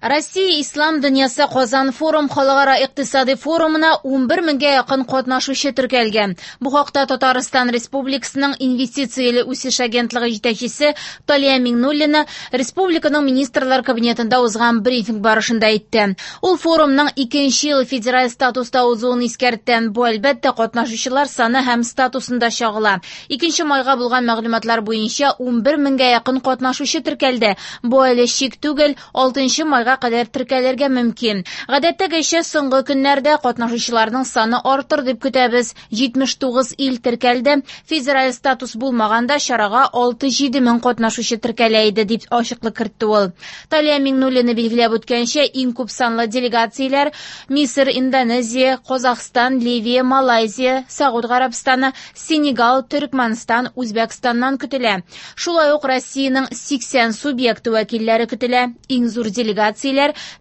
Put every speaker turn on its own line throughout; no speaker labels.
Россия Ислам дөньясы Казан форум халыкара икътисади форумына 11 меңгә якын катнашучы теркәлгән. Бу хакта Татарстан Республикасының Инвестицияле үсеш агентлыгы җитәкчесе Талия Миңнуллина республиканың Министрлар Кабинетында узган брифинг барышында әйтте. Ул форумның икенче ел федераль статуста узуын искәртте. Бу, әлбәттә, катнашучылар саны һәм статусында чагыла. Икенче майга булган мәгълүматлар буенча 11 меңгә якын катнашучы теркәлде. Бу әле чик түгел, 6 майга кадәр теркәлергә мөмкин. Гадәттәгечә, соңгы көннәрдә катнашучыларның саны артыр дип көтәбез. 79 ил теркәлде. Федераль статус булмаганда чарага 6-7 мең катнашучы теркәлә иде, дип ачыклык кертте ул. Талия Миңнуллина билгеләп үткәнчә, иң күп санлы делегацияләр Мисыр, Индонезия, Казахстан, Ливия, Малайзия, Сәгуд Гарәбстаны, Сенегал, Төрекмәнстан, Үзбәкстаннан көтелә. Шулай ук Россиянең 80 субъекты вәкилләре көтелә. Иң зур делегацияләр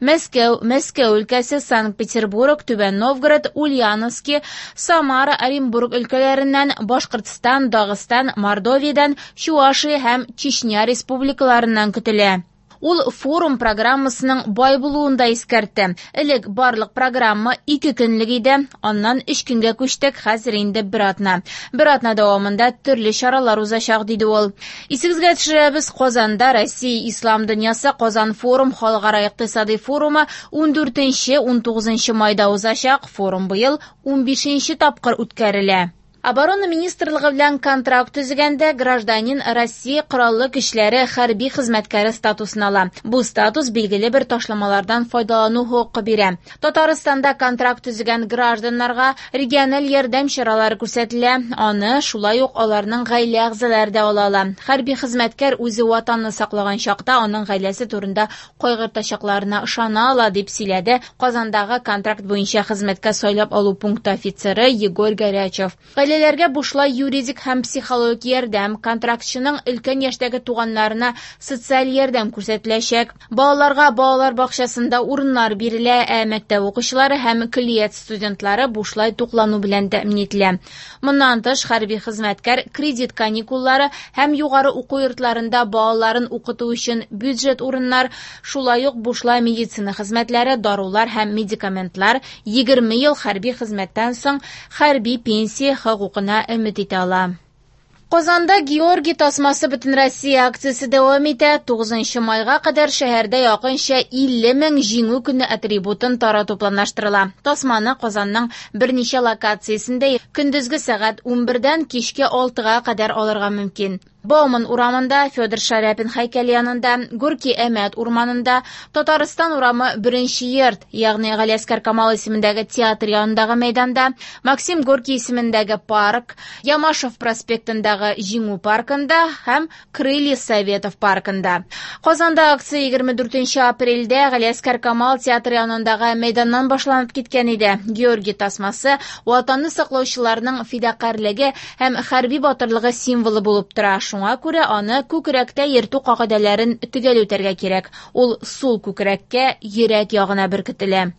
Мәскәү, Мәскәү өлкәсе, Санкт-Петербург, Түбән Новгород, Ульяновски, Самара, Оренбург өлкәләреннән, Башкортстан, Дагыстан, Мордовиядән, Чувашия һәм Чечня республикаларыннан көтелә. Ул форум программасының бай булуын да искәртте. Элек барлык программа 2 көнлек иде, аннан 3 көнгә күчтек, хәзер инде бер атна. Бер атна дәвамында төрле чаралар узачак, диде ул. Исегезгә төшерәбез, Казанда Россия Ислам дөньясы Казан форум халыкара икътисади форумы 14-19 майда узачак. Форум быел 15 тапкыр үткәрелә. Оборона министрлыгы белән контракт төзегәндә гражданин Россия Кораллы көчләре хәрби хезмәткәре статусын ала. Бу статус билгеле бер ташламалардан файдалану хокукы бирә. Татарстанда контракт төзегән гражданнарга региональ ярдәм чаралары күрсәтелә. Аны шулай ук аларның гаилә әгъзалары да ала ала. Хәрби хезмәткәр үзе ватанны саклаган чакта аның гаиләсе турында кайгыртачакларына ышана ала, дип сөйләде Казандагы контракт буенча хезмәткә сайлап алу пункты офицеры Егор Горячев. Гаиләләргә бушлай юридик һәм психологик ярдәм, контрактчының өлкән яшьтәге туганнарына социаль ярдәм күрсәтеләчәк. Балаларга балалар бакчасында урыннар бирелә, ә мәктәп укучылары һәм көллият студентлары бушлай туклану белән тәэмин ителә. Моннан тыш, хәрби хезмәткәр кредит каникуллары һәм югары уку йортларында балаларын укыту өчен бюджет урыннар, шулай ук бушлай медицина хезмәтләре, дарулар һәм медикаментлар, 20 ел хәрби хезмәттән соң хәрби пенсия хокукына өмет итә ала. Казанда Георгий тасмасы Бөтенроссия акциясе дәвам итә. 9 майга кадәр шәһәрдә якынча 50 мең Җиңү көне атрибутын тарату планлаштырыла. Тасманы Казанның берничә локациясендә көндезге сәгать 11-дән кичке 6-га кадәр алырга мөмкин. Бауман урамында, Федор Шаляпин һәйкәле янында, Горький Әмәт урманында, Татарстан урамы беренче йорт, ягъни Галиәскәр Камал исемендәге театр янындагы мәйданда, Максим Горький исемендәге парк, Ямашев проспектындагы Җиңү паркында һәм Крылья Советов паркында. Казанда акция 24 апрельдә Галиәскәр Камал театры янындагы мәйданнан башланып киткән иде. Георгий тасмасы Ватанны саклаучыларның фидакарьлеге һәм хәрби батырлыгы символы булып тора. Шуңа күрә аны күкрәктә йөртү кагыйдәләрен төгәл үтәргә кирәк. Ул сул күкрәккә, йөрәк ягына беркетелә.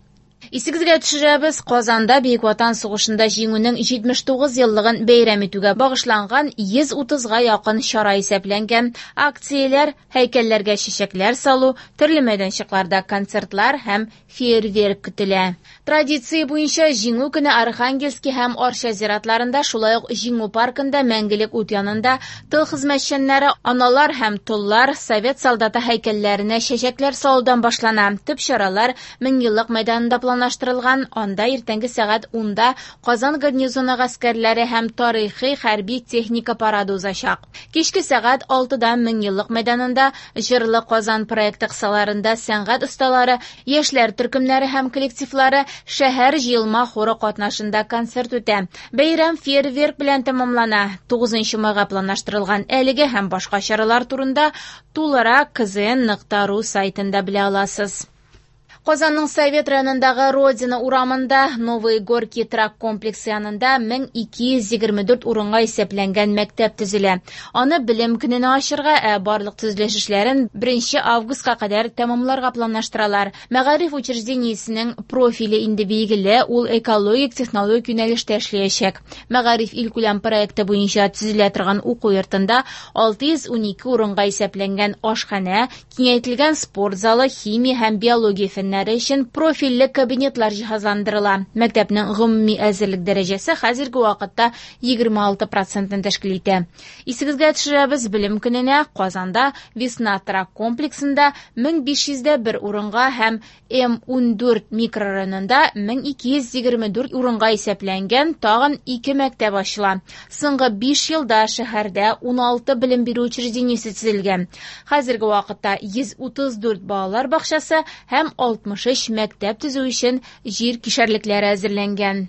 Исегезгә төшерәбез, Казанда Бөек Ватан сугышында җиңүнең 79 еллыгын бәйрәм итүгә багышланган 130-га якын чара исәпләнгән. Акцияләр, һәйкәлләргә чәчәкләр салу, төрле мәйданчыкларда концертлар һәм фейерверк көтелә. Традиция буенча Җиңү көне Архангельский һәм Арча зиратларында, шулай ук Җиңү паркында мәңгелек ут янында тыл хезмәтчәннәре, аналар һәм толлар, совет солдаты һәйкәлләренә чәчәкләр салудан башлана. Төп чаралар Меңьеллык мәйданында планлаштырылган, анда иртәнге сәгать 10-да Казан гарнизоны гаскәрләре һәм тарихи хәрби техника парады узачак. Кичке сәгать 6-да Меңьеллык мәйданында Җырлы Казан проекты кысаларында сәнгать осталары, яшьләр төркемнәре һәм коллективлары, шәһәр җыелма хоры катнашында концерт үтә. Бәйрәм фейерверк белән тәмамлана. 9 майга планлаштырылган әлеге һәм башка чаралар турында тулырак kzn.ru сайтында белә аласыз. Казанның Совет районындагы Родина урамында Новые Горки торак комплексы янында 1224 урынга исәпләнгән мәктәп төзелә. Аны Белем көненә ачырга, ә барлык төзелеш эшләрен 1 августка кадәр тәмамларга планлаштыралар. Мәгариф учреждениесенең профиле инде билгеле, ул экологик технологик юнәлештә эшләячәк. Мәгариф илкүләм проекты буенча төзелә торган уку йортында 612 урынга исәпләнгән ашханә, киңәйтелгән спорт залы, химия һәм биология фәннәре өчен профильле кабинетлар җиһазландырыла. Мәктәпнең гомуми әзерлек дәрәҗәсе хәзерге вакытта 26 процентны тәшкил итә. Исегезгә төшерәбез, Белем көненә Казанда Весна торак комплексында 1501 урынга һәм М14 микрорайонында 1224 урынга исәпләнгән тагын 2 мәктәп ачыла. Соңгы 5 елда шәһәрдә 16 белем бирү учреждениесе төзелгән. Хәзерге вакытта 134 балалар бакчасы һәм 63 мәктәп төзү өчен җир кишәрлекләре әзерләнгән.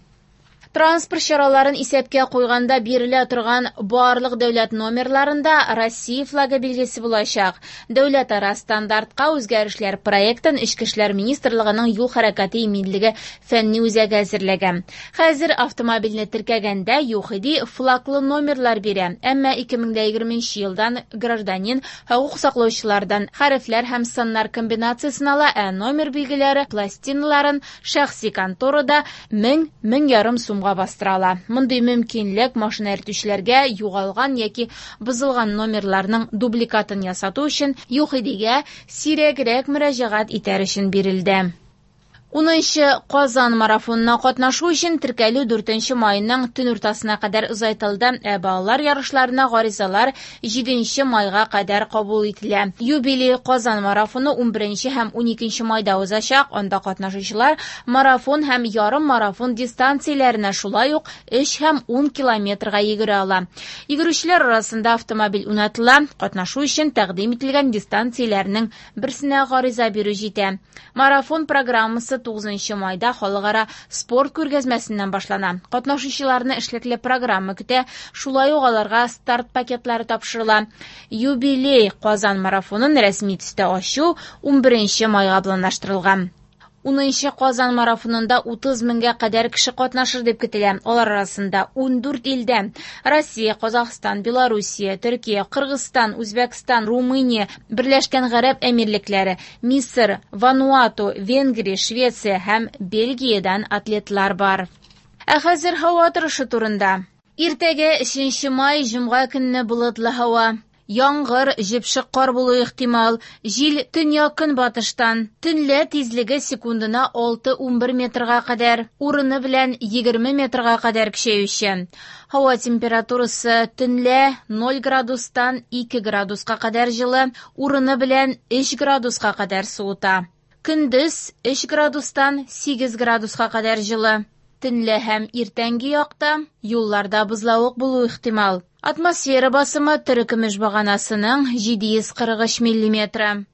Транспорт чараларын исәпкә куйганда бирелә торган барлык дәүләт номерларында Россия флагы билгесе булачак. Дәүләтара стандартка үзгәрешләр проектын Эчке эшләр министрлыгының юл хәрәкәте иминлеге фәнни үзәге әзерләгән. Хәзер автомобильне теркәгәндә ЮХИДИ флаглы номерлар бирә. Әмма 2020 елдан гражданин хокук саклаучылардан хәрефләр һәм саннар комбинациясен ала, ә номер билгеләре пластиналарын шәхси конторада 1000-1500 сумга бастыра ала. Мондый мөмкинлек машина йөртүчеләргә югалган яки бозылган номерларның дубликатын ясату өчен ЮХИДИгә сирәгрәк мөрәҗәгать итәр өчен бирелде. 10нчы Казан марафонына катнашу өчен теркәлү 4 майның төн уртасына кадәр озайтылды, ә балалар ярышларына гаризалар 7 майга кадәр кабул ителә. Юбилей Казан марафоны 11 һәм 12 майда узачак. Анда катнашучылар марафон һәм ярым марафон дистанцияләренә шулай ук 3 һәм 10 километрга йөгерә ала. Йөгерүчеләр арасында автомобиль уйнатыла. Катнашу өчен тәкъдим ителгән дистанцияләрнең берсенә гариза бирү җитә. Марафон программасы 9 майда халыкара спорт күргәзмәсеннән башлана. Катнашучыларны эшлекле программа көтә, шулай ук аларга старт пакетлары тапшырыла. Юбилей Казан марафонын рәсми төстә ачу 11 майга планлаштырылган. 10нчы Казан марафонында 30 меңгә кадәр кеше катнашыр дип көтелә. Алар арасында 14 илдән Россия, Казахстан, Белоруссия, Төркия, Кыргызстан, Үзбәкстан, Румыния, Берләшкән Гарәп Әмирлекләре, Мисыр, Вануату, Венгрия, Швеция һәм Бельгиядән атлетлар бар. Ә хәзер һава торышы турында. Иртәгә 3 май җомга көнне болытлы һава. Яңгыр, җепшек кар булу ихтимал. Җил төньяк-көнбатыштан. Төнлә тизлеге секундына 6-11 метрга кадәр, урыны белән 20 метрга кадәр көчәюче. Һава температурасы төнлә 0 градустан 2 градуска кадәр җылы, урыны белән 3 градуска кадәр суыта. Көндез 3 градустан 8 градуска кадәр җылы. Төнлә һәм иртәнге якта юлларда бозлавык булу ихтимал. Атмосфера басымы терекөмеш баганасының 743 миллиметры.